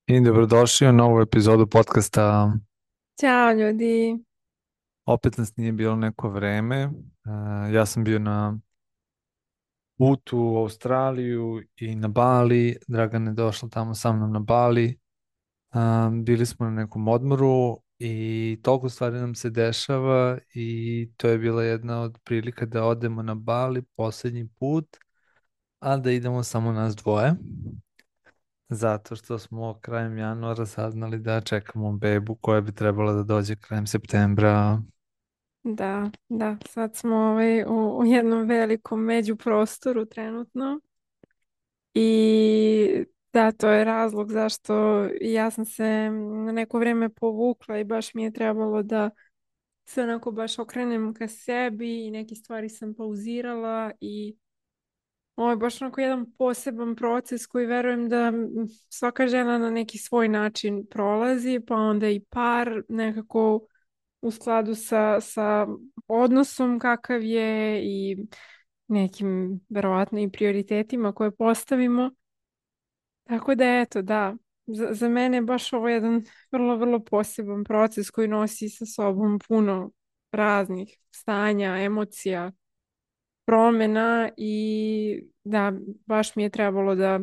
I dobrodošli u novu epizodu podcasta. Ćao ljudi. Opet nas nije bilo neko vreme. Ja sam bio na putu u Australiju i na Bali. Dragana je došla tamo sa mnom na Bali. Bili smo na nekom odmoru i toliko stvari nam se dešava i to je bila jedna od prilika da odemo na Bali posljednji put, a da idemo samo nas dvoje. Zato što smo krajem januara saznali da čekamo bebu koja bi trebala da dođe krajem septembra. Da, sad smo u jednom velikom međuprostoru trenutno i da, to je razlog zašto ja sam se na neko vrijeme povukla i baš mi je trebalo da se onako baš okrenem ka sebi i neke stvari sam pauzirala i ovo je baš onako jedan poseban proces koji verujem da svaka žena na neki svoj način prolazi, pa onda i par nekako u skladu sa odnosom kakav je i nekim verovatno i prioritetima koje postavimo. Tako da eto, da, za mene je baš ovo jedan vrlo poseban proces koji nosi sa sobom puno raznih stanja, emocija, promjena i da, baš mi je trebalo da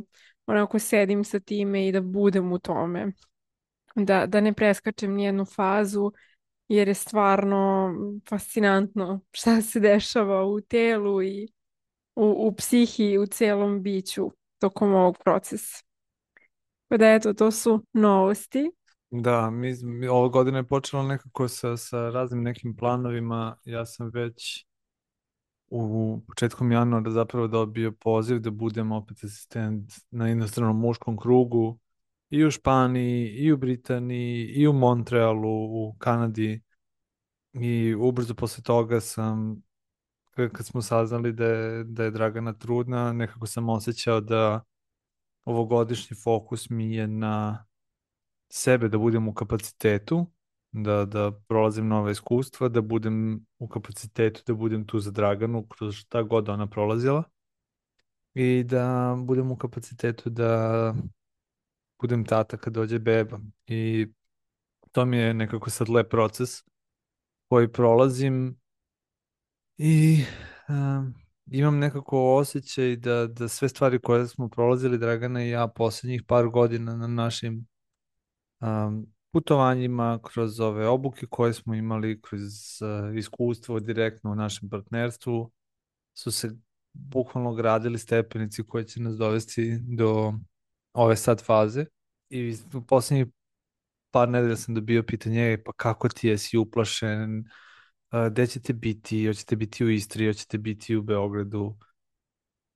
onako sedim sa time i da budem u tome. Da ne preskačem nijednu fazu jer je stvarno fascinantno šta se dešava u telu i u psihi i u celom biću tokom ovog procesa. Pa da eto, to su novosti. Da, ova godina je počela nekako sa raznim nekim planovima. Ja sam već u početkom januara zapravo dobio poziv da budem opet asistent na inostranom muškom krugu i u Španiji, i u Britaniji, i u Montrealu, u Kanadi. I ubrzo posle toga sam, kad smo saznali da je Dragana trudna, nekako sam osjećao da ovogodišnji fokus mi je na sebe, da budem u kapacitetu, da prolazim nova iskustva, da budem u kapacitetu, da budem tu za Draganu kroz šta god ona prolazila i da budem u kapacitetu da budem tata kad dođe beba. I to mi je nekako sad lep proces koji prolazim i imam nekako osjećaj da sve stvari koje smo prolazili, Dragana i ja, posljednjih par godina na našim putovanjima, kroz ove obuke koje smo imali, kroz iskustvo direktno u našem partnerstvu, su se bukvalno gradili stepenici koje će nas dovesti do ove sad faze. I u posljednjih par nedelja sam dobio pitanje: "Ej, pa kako ti je, si uplašen, gde ćete biti, hoćete biti u Istri, hoćete biti u Beogradu?"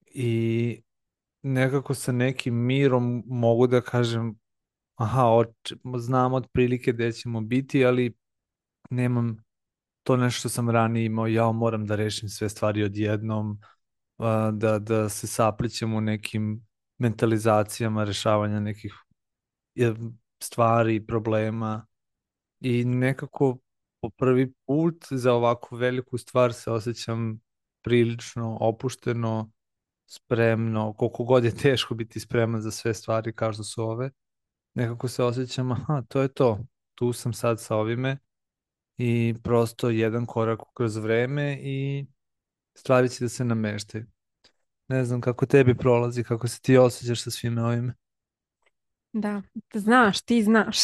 I nekako sa nekim mirom mogu da kažem: aha, znam otprilike gde ćemo biti, ali nemam to nešto što sam ranije imao. Ja moram da rešim sve stvari odjednom, da se saplićem u nekim mentalizacijama rešavanja nekih e, stvari, problema i nekako po prvi put za ovako veliku stvar se osjećam prilično opušteno, spremno, koliko god je teško biti spreman za sve stvari kao što su ove. Nekako se osjećam, aha, to je to. Tu sam sad sa ovime i prosto jedan korak kroz vreme i stvari će da se nameštaju. Ne znam kako tebi prolazi, kako se ti osjećaš sa svime ovime. Da, znaš, ti znaš.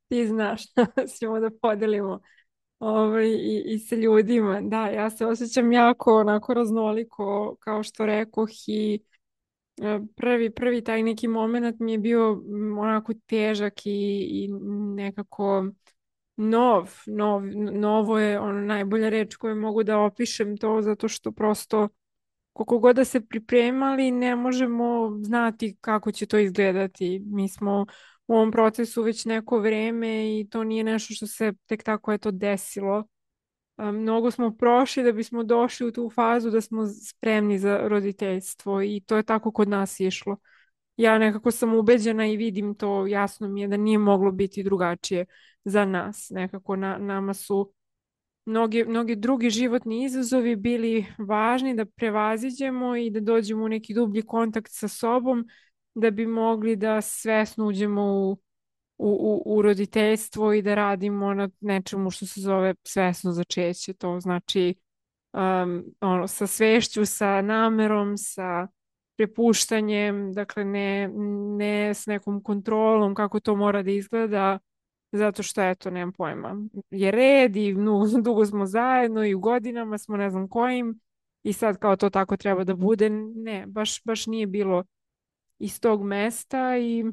Ti znaš, ćemo da podelimo i sa ljudima. Da, ja se osjećam jako onako raznoliko, kao što rekoh i prvi taj neki moment mi je bio onako težak i nekako novo je ono najbolja reč koju mogu da opišem to zato što prosto koliko god da se pripremali ne možemo znati kako će to izgledati. Mi smo u ovom procesu već neko vrijeme i to nije nešto što se tek tako eto desilo. Mnogo smo prošli da bismo došli u tu fazu da smo spremni za roditeljstvo i to je tako kod nas išlo. Ja nekako sam ubeđena i vidim to, jasno mi je da nije moglo biti drugačije za nas. Nekako nama su mnogi drugi životni izazovi bili važni da prevaziđemo i da dođemo u neki dublji kontakt sa sobom, da bi mogli da svesno uđemo u roditeljstvo i da radimo na nečemu što se zove svesno začeće. To znači ono, sa svešću, sa namerom, sa prepuštanjem, dakle ne s nekom kontrolom kako to mora da izgleda, zato što eto, nemam pojma, je red i dugo smo zajedno i u godinama smo ne znam kojim i sad kao to tako treba da bude. Ne, baš nije bilo iz tog mesta i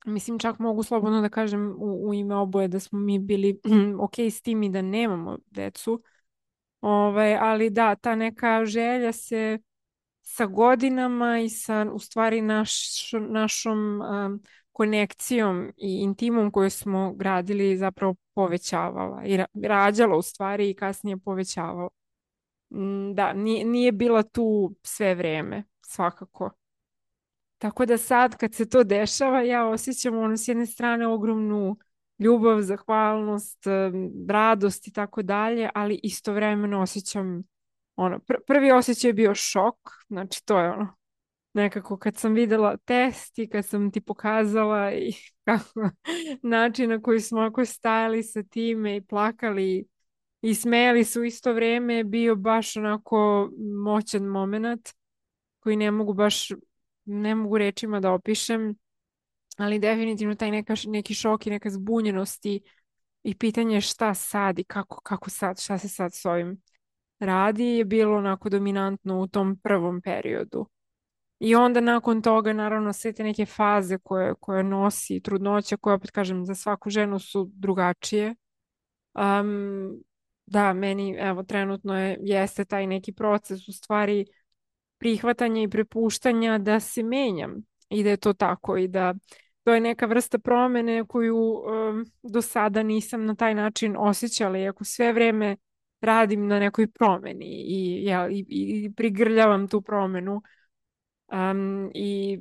mislim čak mogu slobodno da kažem u ime oboje da smo mi bili ok s tim i da nemamo decu. Ali da, ta neka želja se sa godinama i sa u stvari našom konekcijom i intimom koju smo gradili zapravo povećavala i rađala u stvari i kasnije povećavala. Da, nije bila tu sve vreme, svakako. Tako da sad kad se to dešava, ja osjećam ono s jedne strane ogromnu ljubav, zahvalnost, radost i tako dalje, ali istovremeno osjećam ono, prvi osjećaj je bio šok, znači to je ono, nekako kad sam videla test i kad sam ti pokazala i kako, način na koji smo ako stajali sa time i plakali i smejali se u isto vrijeme je bio baš onako moćan moment koji ne mogu rečima da opišem, ali definitivno taj neki šok i neka zbunjenost i pitanje šta sad i kako sad, šta se sad s ovim radi je bilo onako dominantno u tom prvom periodu. I onda nakon toga naravno sve te neke faze koje nosi trudnoća, koje opet kažem za svaku ženu su drugačije. Da, meni evo trenutno jeste taj neki proces u stvari prihvatanja i prepuštanja da se menjam i da je to tako i da to je neka vrsta promene koju do sada nisam na taj način osjećala, iako sve vreme radim na nekoj promeni i prigrljavam tu promenu i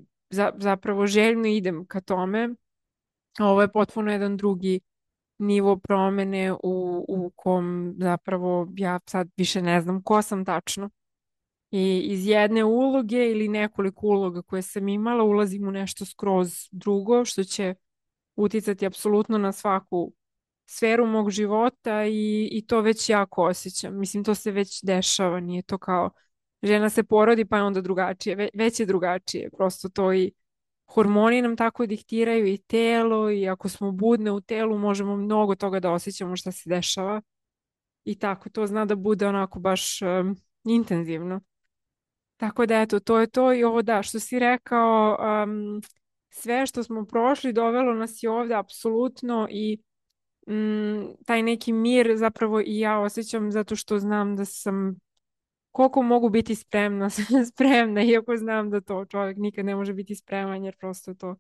zapravo željno idem ka tome. Ovo je potpuno jedan drugi nivo promene u kom zapravo ja sad više ne znam ko sam tačno. I iz jedne uloge ili nekoliko uloga koje sam imala ulazim u nešto skroz drugo što će uticati apsolutno na svaku sferu mog života i to već jako osjećam. Mislim, to se već dešava, nije to kao žena se porodi pa je onda drugačije, već je drugačije. Prosto to i hormoni nam tako diktiraju i telo i ako smo budne u telu možemo mnogo toga da osjećamo šta se dešava i tako to zna da bude onako baš intenzivno. Tako da eto, to je to i ovo da, što si rekao, sve što smo prošli dovelo nas je ovdje apsolutno i taj neki mir zapravo i ja osjećam zato što znam da sam, koliko mogu biti spremna, spremna, iako znam da to čovjek nikad ne može biti spreman jer prosto je to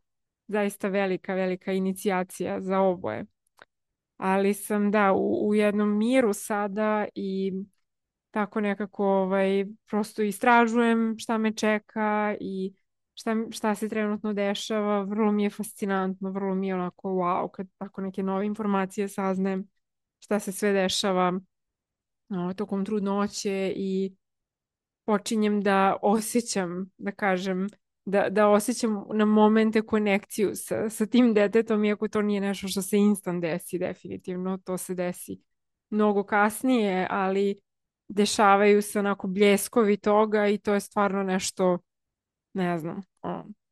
zaista velika, velika inicijacija za oboje. Ali sam da, u jednom miru sada i tako nekako prosto istražujem šta me čeka i šta se trenutno dešava. Vrlo mi je fascinantno, vrlo mi je onako wow kad tako neke nove informacije saznajem šta se sve dešava tokom trudnoće i počinjem da osjećam, da kažem, da osjećam na momente konekciju sa tim detetom, iako to nije nešto što se instant desi, definitivno, to se desi mnogo kasnije, ali dešavaju se onako bljeskovi toga i to je stvarno nešto, ne znam,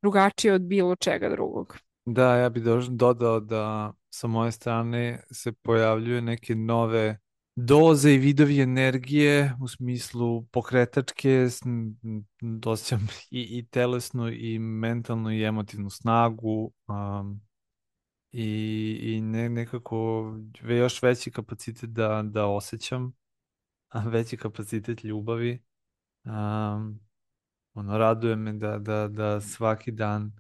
drugačije od bilo čega drugog. Da, ja bih dodao da sa moje strane se pojavljuju neke nove doze i vidovi energije u smislu pokretačke, osjećam i telesnu i mentalnu i emotivnu snagu i nekako još veći kapacitet da osjećam, veći kapacitet ljubavi. Raduje me da svaki dan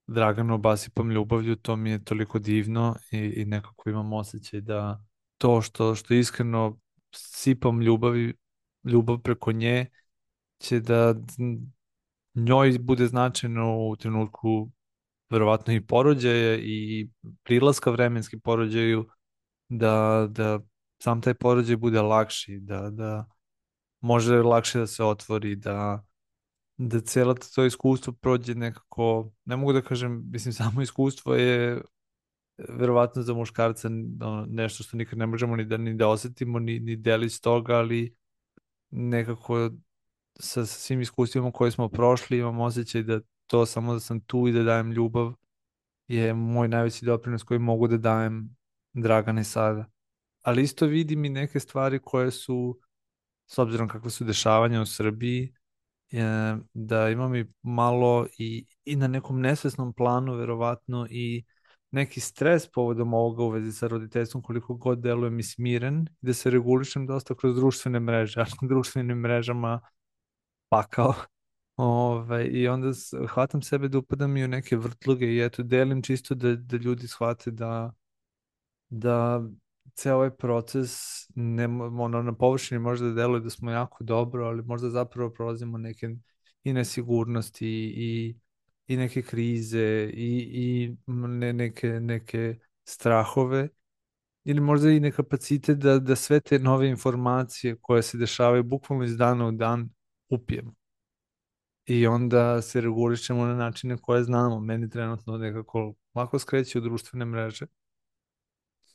Draganu obasipam ljubavlju, to mi je toliko divno i nekako imam osjećaj da to što iskreno sipam ljubav preko nje će da njoj bude značajno u trenutku verovatno i porođaja i prilaska vremenski porođaju da sam taj porođaj bude lakši, da može lakše da se otvori, da da cijelo to iskustvo prođe nekako, ne mogu da kažem, mislim, samo iskustvo je verovatno za muškarca nešto što nikad ne možemo ni da osetimo, ni delić toga, ali nekako sa svim iskustvima koje smo prošli imam osjećaj da to samo da sam tu i da dajem ljubav je moj najveći doprinos koji mogu da dajem Dragane sada. Ali isto vidim i neke stvari koje su, s obzirom kakve su dešavanja u Srbiji, da imam i malo i na nekom nesvesnom planu verovatno i neki stres povodom ovoga u vezi sa roditeljstvom koliko god deluje mi smiren i da se regulišem dosta kroz društvene mreže, a na društvenim mrežama pakao. I onda hvatam sebe da upadam i u neke vrtluge i eto delim čisto da ljudi shvate da ceo ovaj proces na površini možda deluje da smo jako dobro, ali možda zapravo prolazimo neke i nesigurnosti i neke krize neke strahove ili možda i nekapacitet da sve te nove informacije koje se dešavaju bukvalno iz dana u dan upijemo. I onda se regulišemo na načine koje znamo. Meni trenutno nekako lako skreće u društvene mreže.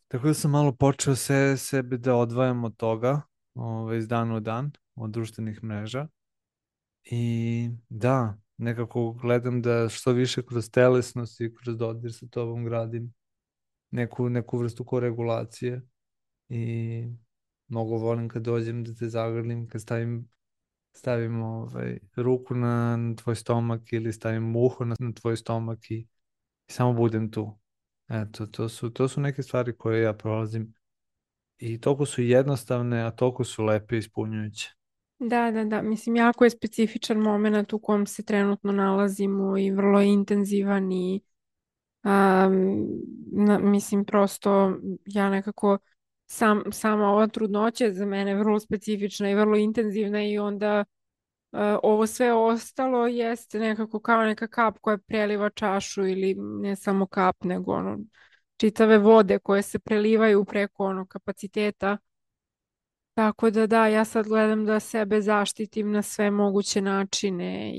Tako da sam malo počeo sebe da odvajam od toga, iz dana u dan, od društvenih mreža. I da, nekako gledam da što više kroz telesnost i kroz dodir sa tobom gradim neku vrstu koregulacije. I mnogo volim kad dođem da te zagrlim, kad stavim ruku na tvoj stomak ili stavim uho na tvoj stomak i samo budem tu. Eto, to su neke stvari koje ja prolazim i toliko su jednostavne, a toliko su lepe i ispunjujuće. Da, da, da. Mislim, jako je specifičan moment u kom se trenutno nalazimo i vrlo je intenzivan i mislim, prosto ja nekako sama ova trudnoća je za mene vrlo specifična i vrlo intenzivna i onda ovo sve ostalo jeste nekako kao neka kap koja preliva čašu ili ne samo kap, nego ono, čitave vode koje se prelivaju preko onog kapaciteta. Tako da da, ja sad gledam da sebe zaštitim na sve moguće načine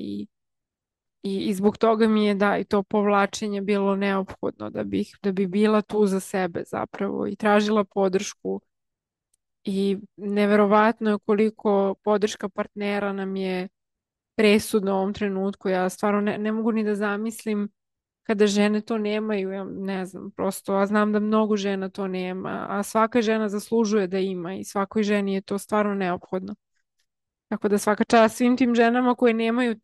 i zbog toga mi je da i to povlačenje bilo neophodno da bi bila tu za sebe zapravo i tražila podršku i neverovatno je koliko podrška partnera nam je presudno u ovom trenutku. Ja stvarno ne mogu ni da zamislim kada žene to nemaju, ja ne znam, prosto, a znam da mnogo žena to nema, a svaka žena zaslužuje da ima i svakoj ženi je to stvarno neophodno. Tako da svaka čast svim tim ženama koje nemaju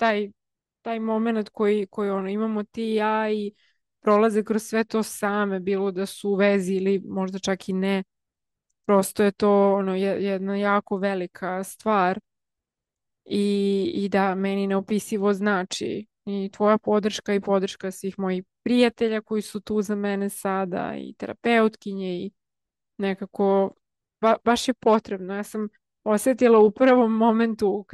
taj moment koji ono, imamo ti i ja i prolaze kroz sve to same, bilo da su u vezi ili možda čak i ne. Prosto je to ono, jedna jako velika stvar i da meni neopisivo znači i tvoja podrška i podrška svih mojih prijatelja koji su tu za mene sada i terapeutkinje i nekako baš je potrebno. Ja sam osjetila u prvom momentu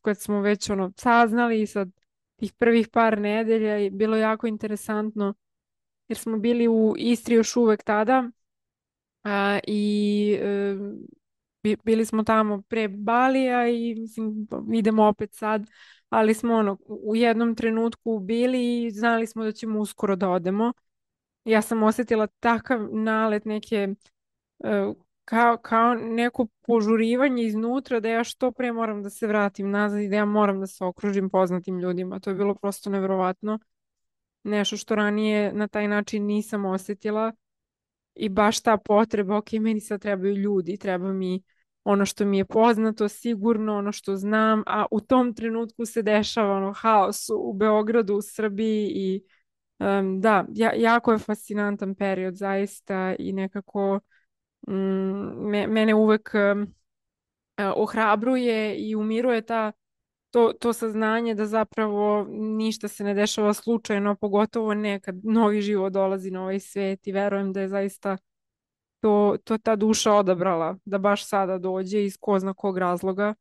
kad smo već ono saznali sad tih prvih par nedelja i bilo jako interesantno jer smo bili u Istri još uvek tada i bili smo tamo pre Balija i mislim, idemo opet sad, ali smo ono, u jednom trenutku bili i znali smo da ćemo uskoro da odemo. Ja sam osjetila takav nalet neke, kao neko požurivanje iznutra da ja što pre moram da se vratim nazad i da ja moram da se okružim poznatim ljudima. To je bilo prosto nevjerovatno. Nešto što ranije na taj način nisam osjetila. I baš ta potreba, ok, meni sad trebaju ljudi, treba mi ono što mi je poznato, sigurno, ono što znam, a u tom trenutku se dešava ono haos u Beogradu, u Srbiji i da, jako je fascinantan period zaista i nekako mene uvek ohrabruje i umiruje to saznanje da zapravo ništa se ne dešava slučajno, pogotovo ne kad novi život dolazi na ovaj svet i verujem da je zaista to ta duša odabrala da baš sada dođe iz ko zna kog razloga.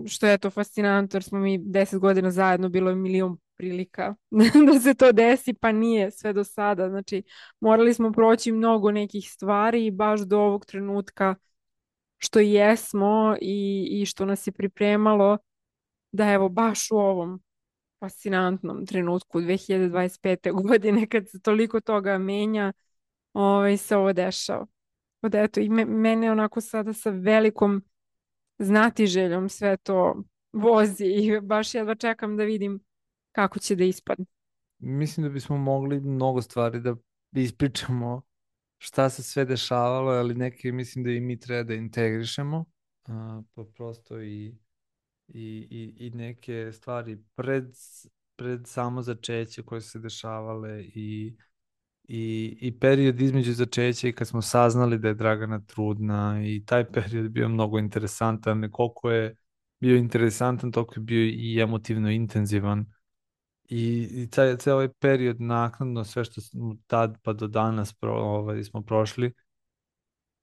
Što je to fascinantno jer smo mi 10 godina zajedno, bilo je milion prilika da se to desi, pa nije sve do sada. Znači, morali smo proći mnogo nekih stvari i baš do ovog trenutka što jesmo i što nas je pripremalo da evo baš u ovom fascinantnom trenutku 2025. godine kad se toliko toga menja, se ovo dešava. Od eto, i mene onako sada sa velikom znatiželjom sve to vozi i baš jedva čekam da vidim kako će da ispadne. Mislim da bismo mogli mnogo stvari da ispričamo šta se sve dešavalo, ali neke mislim da i mi treba da integrišemo, pa prosto i neke stvari pred samo začeće koje su se dešavale i period između začeća i kad smo saznali da je Dragana trudna i taj period bio mnogo interesantan, koliko je bio interesantan, toliko je bio i emotivno intenzivan i ceo ovaj period naknadno, sve što smo tad pa do danas smo prošli,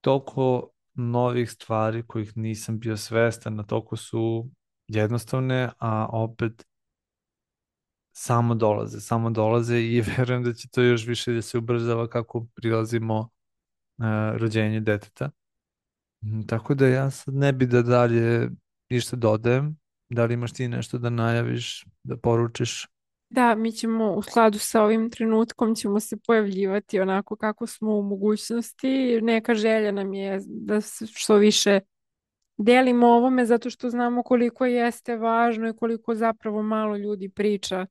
toliko novih stvari kojih nisam bio svestan, a toliko su jednostavne, a opet samo dolaze i verujem da će to još više da se ubrzava kako prilazimo rođenju deteta. Tako da ja sad ne bi da dalje ništa dodajem. Da li imaš ti nešto da najaviš, da poručiš? Da, mi ćemo u skladu sa ovim trenutkom ćemo se pojavljivati onako kako smo u mogućnosti. Neka želja nam je da se što više delimo o ovome zato što znamo koliko jeste važno i koliko zapravo malo ljudi priča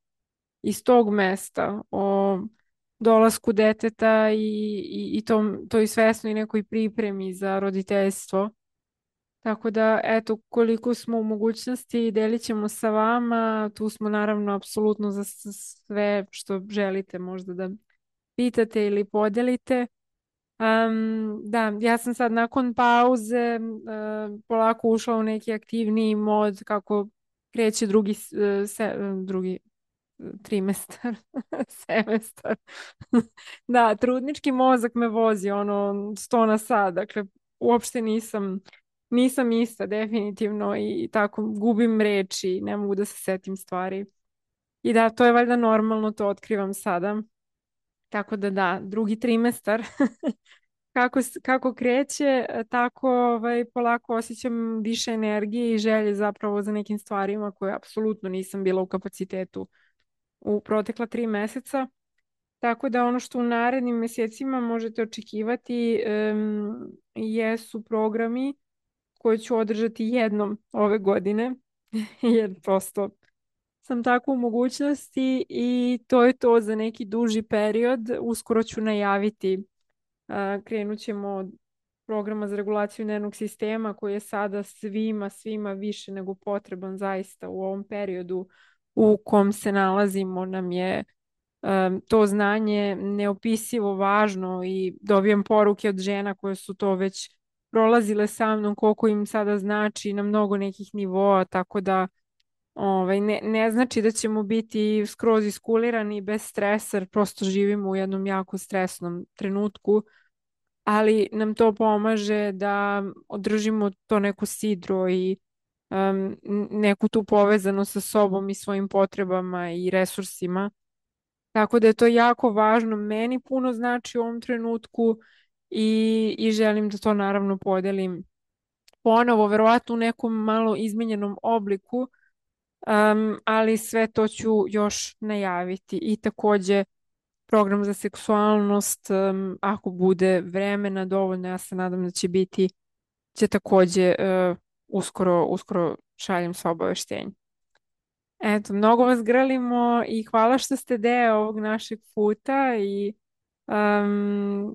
iz tog mesta o dolasku deteta i toj svesnoj nekoj pripremi za roditeljstvo. Tako da, eto, koliko smo u mogućnosti, delit ćemo sa vama. Tu smo naravno apsolutno za sve što želite možda da pitate ili podelite. Da, ja sam sad nakon pauze polako ušla u neki aktivniji mod kako kreće drugi trimestar, semestar. Da, trudnički mozak me vozi ono 100 na sat, dakle uopšte nisam ista definitivno i tako gubim reči, ne mogu da se setim stvari. I da, to je valjda normalno, to otkrivam sada. Tako da, drugi trimestar kako kreće, tako polako osjećam više energije i želje zapravo za nekim stvarima koje apsolutno nisam bila u kapacitetu u protekla 3 meseca. Tako da ono što u narednim mjesecima možete očekivati jesu programi koje ću održati jednom ove godine, jer prosto sam tako u mogućnosti i to je to za neki duži period. Uskoro ću najaviti, krenut ćemo od programa za regulaciju nervnog sistema koji je sada svima više nego potreban zaista u ovom periodu u kom se nalazimo nam je to znanje neopisivo važno i dobijem poruke od žena koje su to već prolazile sa mnom, koliko im sada znači na mnogo nekih nivoa, tako da ne znači da ćemo biti skroz iskulirani bez stresa, jer prosto živimo u jednom jako stresnom trenutku, ali nam to pomaže da održimo to neko sidro i neku tu povezanost sa sobom i svojim potrebama i resursima. Tako da je to jako važno. Meni puno znači u ovom trenutku i želim da to naravno podelim ponovo, verovatno u nekom malo izmenjenom obliku, ali sve to ću još najaviti. I takođe program za seksualnost, ako bude vremena dovoljno, ja se nadam da će biti, će takođe uskoro šaljem sva obaveštenja. Eto, mnogo vas grlimo i hvala što ste deo ovog našeg puta i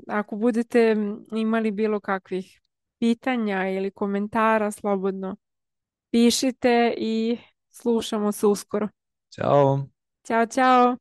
ako budete imali bilo kakvih pitanja ili komentara, slobodno pišite i slušamo se uskoro. Ćao! Ćao, ćao!